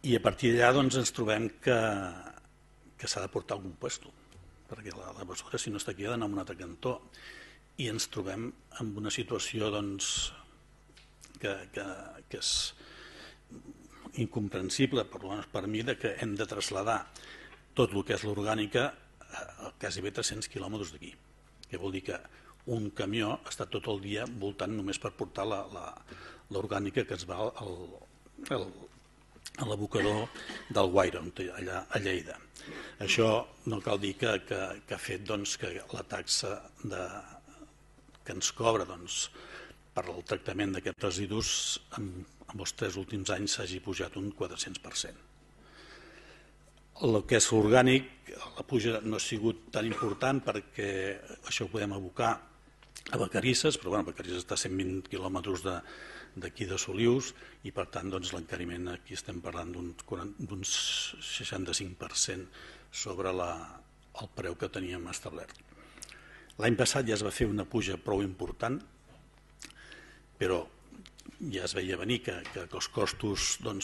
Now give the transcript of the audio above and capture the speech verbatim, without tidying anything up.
I a partir d'allà doncs, ens trobem que, que s'ha de portar algun puesto, perquè la, la basura, si no està aquí, ha d'anar a un altre cantó. I ens trobem en una situació doncs, que, que, que és incomprensible, per, per mi, de que hem de traslladar tot el que és l'orgànica a quasi bé tres-cents quilòmetres d'aquí. Que vol dir que un camió està tot el dia voltant només per portar l'orgànica que es va al, al, a l'abocador del Guaire, allà a Lleida. Això no cal dir que, que, que ha fet doncs, que la taxa de, que ens cobra doncs, per al tractament d'aquests residus en, en els tres últims anys s'hagi pujat un quatre-cents per cent. El que és orgànic, la puja no ha sigut tan important perquè això ho podem abocar a Vacarisses, però bueno, Vacarisses està a cent vint quilòmetres d'aquí de Solius i per tant doncs, l'encariment aquí estem parlant d'un seixanta-cinc per cent sobre la, el preu que teníem establert. L'any passat ja es va fer una puja prou important, però ja es veia venir que, que els costos doncs,